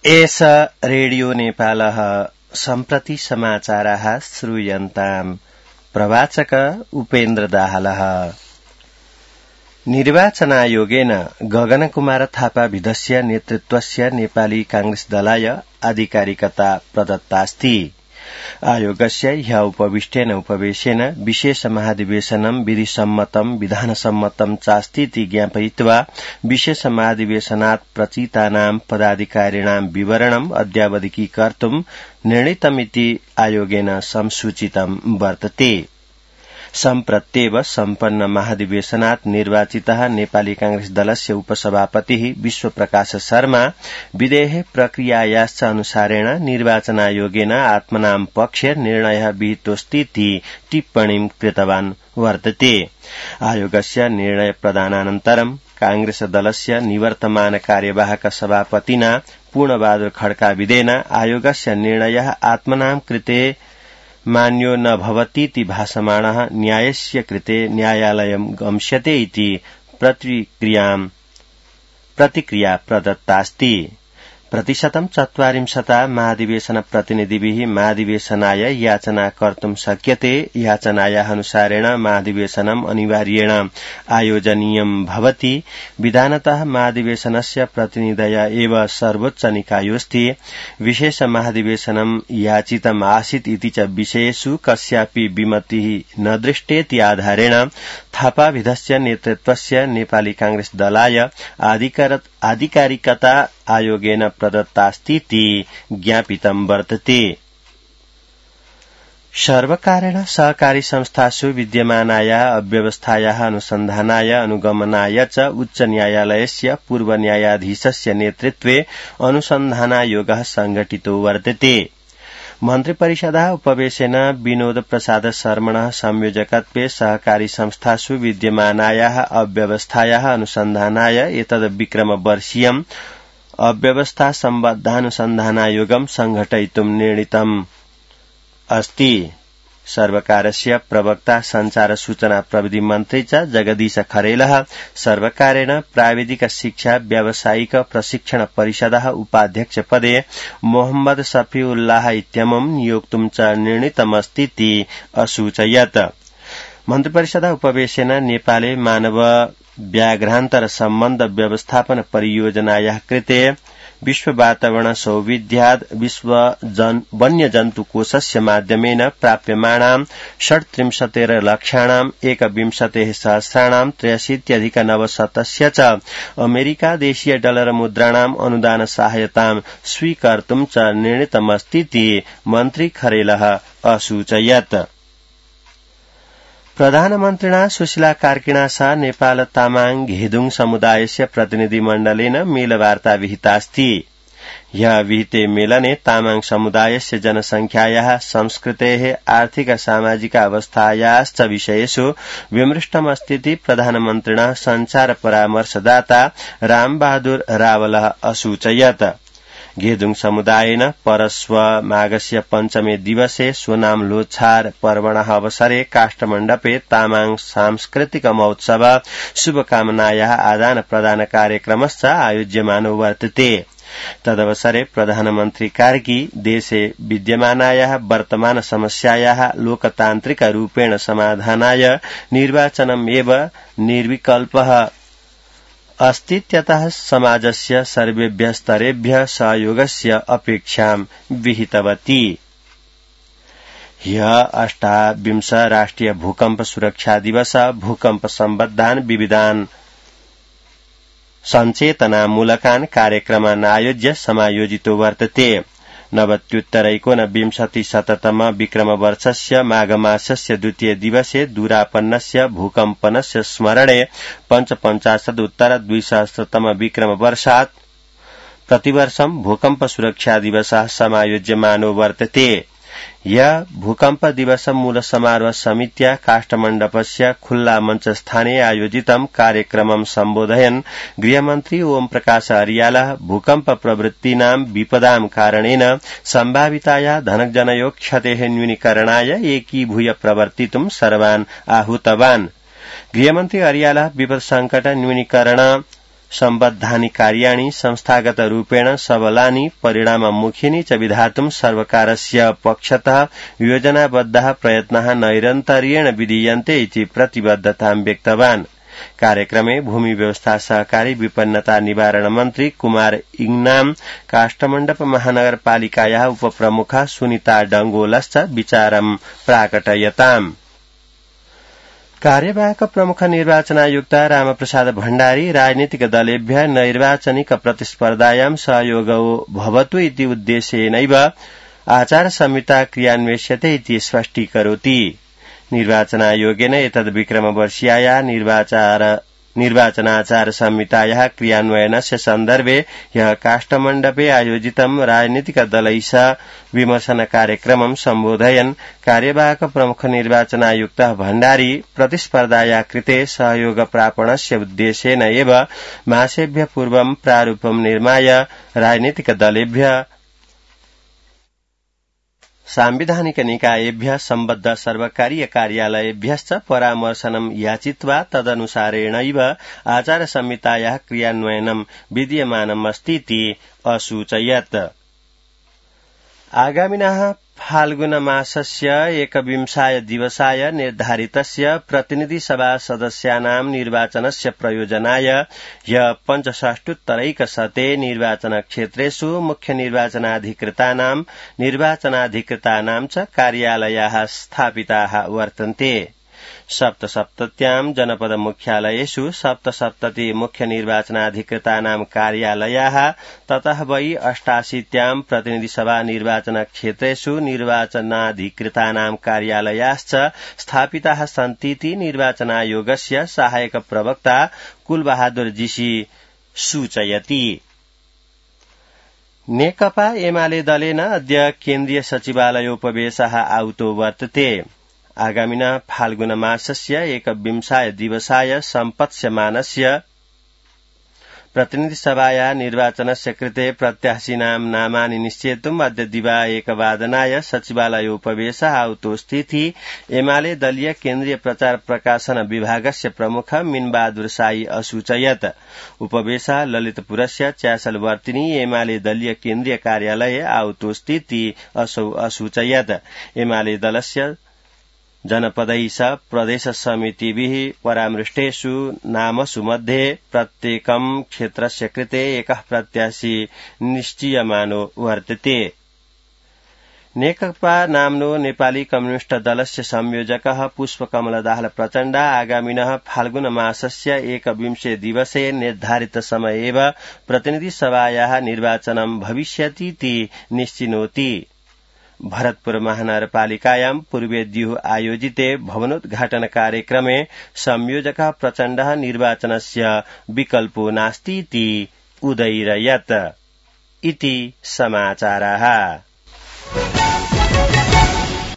एष रेडियो नेपालः सम्प्रति समाचाराः श्रूयन्ताम्। प्रवाचक उपेन्द्र दाहालः। निर्वाचनायोगेन गगनकुमार थापा विधस्य नेतृत्वस्य नेपाली कांग्रेस दलाय आधिकारिकता प्रदत्तास्ति। आयोगस्य ह्य उपविष्टेन उपवेशेन विशेष महाधिवेशनं विधिसम्मतं विधानसम्मतं चास्तीति ज्ञापयित्वा विशेष महाधिवेशनात् प्रचितानां पदाधिकारिणां विवरणम् अद्यावधिकीकर्तुं निर्णीतमिति आयोगेन संसूचितं वर्तते। सम्प्रत्येव सम्पन्न महाधिवेशनात् निर्वाचितः नेपाली कांग्रेस दलस्य उपसभापतिः विश्वप्रकाश शर्मा विधेः प्रक्रियायाश्च अनुसारेण निर्वाचनायोगेन आत्मनां पक्षे निर्णयः विहितोऽस्तीति टिप्पणीं कृतवान् वर्तते। आयोगस्य निर्णय प्रदानानन्तरं कांग्रेस दलस्य निवर्तमान कार्यवाहक सभापतिना पूर्णबहादुर खड्काविदेन आयोगस्य निर्णयः आत्मनां कृते मान्यो न भवतीति भासमाणः न्यायस्य कृते न्यायालयं गम्स्यते इति प्रतिक्रिया प्रदत्तास्ति। 40% महाधिवेशन प्रतिनिधिभिः महाधिवेशनाय याचना कर्तुं शक्यते। याचनायाः अनुसारेण महाधिवेशनम् अनिवार्येण आयोजनीयं भवति। विधानतः महाधिवेशनस्य प्रतिनिधय एव सर्वोच्च निकायोऽस्ति। विशेष महाधिवेशनं याचितम् आसीत् इति च विषयेषु कस्यापि विमतिः न दृष्टेति आधारेण थापाविधस्य नेतृत्वस्य नेपाली कांग्रेस दलाय आधिकारिकता आयोगेन प्रदत्तास्तीति ज्ञापितं वर्तते। सर्वकारेण सहकारी संस्थासु विद्यमानायाः अव्यवस्थायाः अनुसन्धानाय अनुगमनाय च उच्च न्यायालयस्य पूर्व न्यायाधीशस्य नेतृत्वे अनुसन्धानायोगः संघटितो वर्तते। मन्त्रिपरिषदः उपवेशेन विनोद प्रसाद शर्मणः संयोजकत्वे सहकारी संस्थासु विद्यमानायाः अव्यवस्थायाः अनुसन्धानाय एतद् विक्रमवर्षीयम् अव्यवस्था सम्बद्धानुसन्धानायोगं संघटयितुं निर्णीतम् अस्ति। सर्वकारस्य प्रवक्ता संचार सूचना प्रविधि मन्त्री च जगदीश खरेलः सर्वकारेण प्राविधिक शिक्षा व्यावसायिक प्रशिक्षण परिषदः उपाध्यक्ष पदे मोहम्मद शफीउल्लाह इत्यमुं नियोक्तुं च निर्णीतमस्तीति असूचयत्। मन्त्रिपरिषदः उपवेशेन नेपाले मानव व्याघ्रान्तर सम्बन्ध व्यवस्थापन परियोजनायाः कृते विश्व वातावरण सौविध्याद् विश्व वन्यजन्तुकोषस्य माध्यमेन प्राप्यमाणां 37 लक्षाणां 21,000,000 83,900 च अमेरिकादेशीय डलर मुद्राणाम् अनुदान सहायतां स्वीकर्तुं च निर्णीतमस्तीति मन्त्री खरेलः असूचयत्। प्रधानमन्त्रिणा सुशीला कार्किणा सह नेपाल तामाङ घेदुङ समुदायस्य प्रतिनिधिमण्डलेन मेलवार्ता विहितास्ति। ह्यः विहिते मेलने तामाङ समुदायस्य जनसंख्यायाः संस्कृतेः आर्थिक सामाजिक अवस्थायाश्च विषयेषु विमृष्टमस्तीति प्रधानमन्त्रिणः संचार परामर्शदाता रामबहादुर रावलः असूचयत्। घेदुङ समुदायेन परस्व माघस्य पञ्चमे दिवसे सोनाम लोछार पर्वणः अवसरे काष्ठमण्डपे तामाङ सांस्कृतिक महोत्सव शुभकामनायाः आदान प्रदान कार्यक्रमश्च आयोज्यमानो वर्तते। तदवसरे प्रधानमन्त्री कार्की देशे विद्यमानायाः वर्तमान समस्यायाः लोकतान्त्रिक रूपेण समाधानाय निर्वाचनमेव निर्विकल्पः अस्तीत्यतः समाजस्य सर्वेभ्यः स्तरेभ्यः सहयोगस्य अपेक्षां विहितवती। ह्यः 28 राष्ट्रिय भूकम्प सुरक्षा दिवस भूकम्प सम्बद्धान् विविधान् सञ्चेतनामूलकान् कार्यक्रमान् आयोज्य समायोजितो वर्तते। 90-19-शततम विक्रमवर्षस्य माघमासस्य द्वितीय दिवसे दूरापन्नस्य भूकम्पनस्य स्मरणे 55-उत्तर-2000तम विक्रमवर्षात् प्रतिवर्षं भूकम्प सुरक्षा दिवसः समायोज्यमानो वर्तते। यह भूकम्प दिवस मूल समारोह समित्या काष्ठमण्डपस्य खुल्ला मंच स्थाने आयोजितं कार्यक्रमं सम्बोधयन् गृहमन्त्री ओम प्रकाश अरियालः भूकम्प प्रवृत्तीनां विपदां कारणेन सम्भाविताया धनजनयोः क्षतेः न्यूनीकरणाय एकीभूय प्रवर्तितुं सर्वान् आहूतवान्। गृहमन्त्री अरियालः विपद संकट न्यूनीकरण सम्बद्धानि कार्याणि संस्थागतरूपेण सबलानि परिणाममुखीनि च विधातुं सर्वकारस्य पक्षतः योजनाबद्धाः प्रयत्नाः नैरन्तर्येण विधीयन्ते इति प्रतिबद्धतां व्यक्तवान्। कार्यक्रमे भूमि व्यवस्था सहकारी विपन्नता निवारण मन्त्री कुमार इङ्नाम काष्ठमण्डप महानगरपालिकायाः उपप्रमुखा सुनिता डंगोलश्च विचारं प्राकटयताम्। कार्यवाहक प्रमुख निर्वाचनायुक्त रामप्रसाद भण्डारी राजनीतिक दलेभ्यः नैर्वाचनिक प्रतिस्पर्धायां सहयोगो भवतु इति उद्देश्येनैव आचार संहिता क्रियान्वेष्यते इति स्पष्टीकरोति। निर्वाचनायोगेन एतद्विक्रमवर्षीयाया निर्वाचनाचार संहितायाः क्रियान्वयनस्य सन्दर्भे ह्यः काष्ठमण्डपे आयोजितं राजनीतिक दलैः सह विमर्शन कार्यक्रमं सम्बोधयन् कार्यवाहक प्रमुख निर्वाचनायुक्तः भण्डारी प्रतिस्पर्धाया कृते सहयोग प्रापणस्य उद्देश्येन एव मासेभ्यः पूर्वं प्रारूपं निर्माय राजनीतिक दलेभ्यः सांविधानिक निकायेभ्यः सम्बद्ध सर्वकारीय कार्यालयेभ्यश्च परामर्शनं याचित्वा तदनुसारेणैव आचार संहितायाः क्रियान्वयनं विद्यमानमस्तीति असूचयत्। आगामिनः फाल्गुनमासस्य 21 दिवसाय निर्धारितस्य प्रतिनिधिसभा सदस्यानां निर्वाचनस्य प्रयोजनाय ह्यः 65 निर्वाचनक्षेत्रेषु मुख्य निर्वाचनाधिकृतानां च कार्यालयाः स्थापिताः वर्तन्ते। 77 जनपद मुख्यालयेषु 77 मुख्य निर्वाचनाधिकृतानां कार्यालयाः ततः वै 88 प्रतिनिधिसभा निर्वाचनक्षेत्रेषु निर्वाचनाधिकृतानां कार्यालयाश्च स्थापिताः सन्तीति निर्वाचनायोगस्य सहायक प्रवक्ता कुलबहादुर जीसी सूचयति। नेकपा एमाले दलेन अद्य केन्द्रीय सचिवालयोपवेशः आहुतो वर्तते। आगामिनः फाल्गुनमासस्य 21 दिवसाय सम्पत्स्यमानस्य प्रतिनिधिसभाया निर्वाचनस्य कृते प्रत्याशिनां नामानि निश्चेतुम् अद्य दिवा 1:00 सचिवालयोपवेशः आहुतोऽस्तीति एमाले दलीय केन्द्रीय प्रचार प्रकाशन विभागस्य प्रमुख मीनबहादुर साई असूचयत्। उपवेशः ललितपुरस्य च्यासलवर्तिनी एमाले दलीय केन्द्रीय कार्यालये आहुतोऽस्तीति असौ असूचयत्। एमाले दलस्य जनपदैः सह प्रदेश समितिभिः परामृष्टेषु नामसु मध्ये प्रत्येकं क्षेत्रस्य कृते एकः प्रत्याशी निश्चीयमानो वर्तते। नेकपा नाम्नो नेपाली कम्युनिष्ट दलस्य संयोजकः पुष्पकमलदाहाल प्रचण्ड आगामिनः फाल्गुनमासस्य 21 दिवसे निर्धारित समये एव प्रतिनिधिसभायाः निर्वाचनं भविष्यतीति निश्चिनोति। भरतपुर महानगरपालिकायां पूर्वेद्युः आयोजिते भवनोद्घाटन कार्यक्रमे संयोजकः प्रचण्डः निर्वाचनस्य विकल्पो नास्तीति उदयिरयत् इति समाचारः।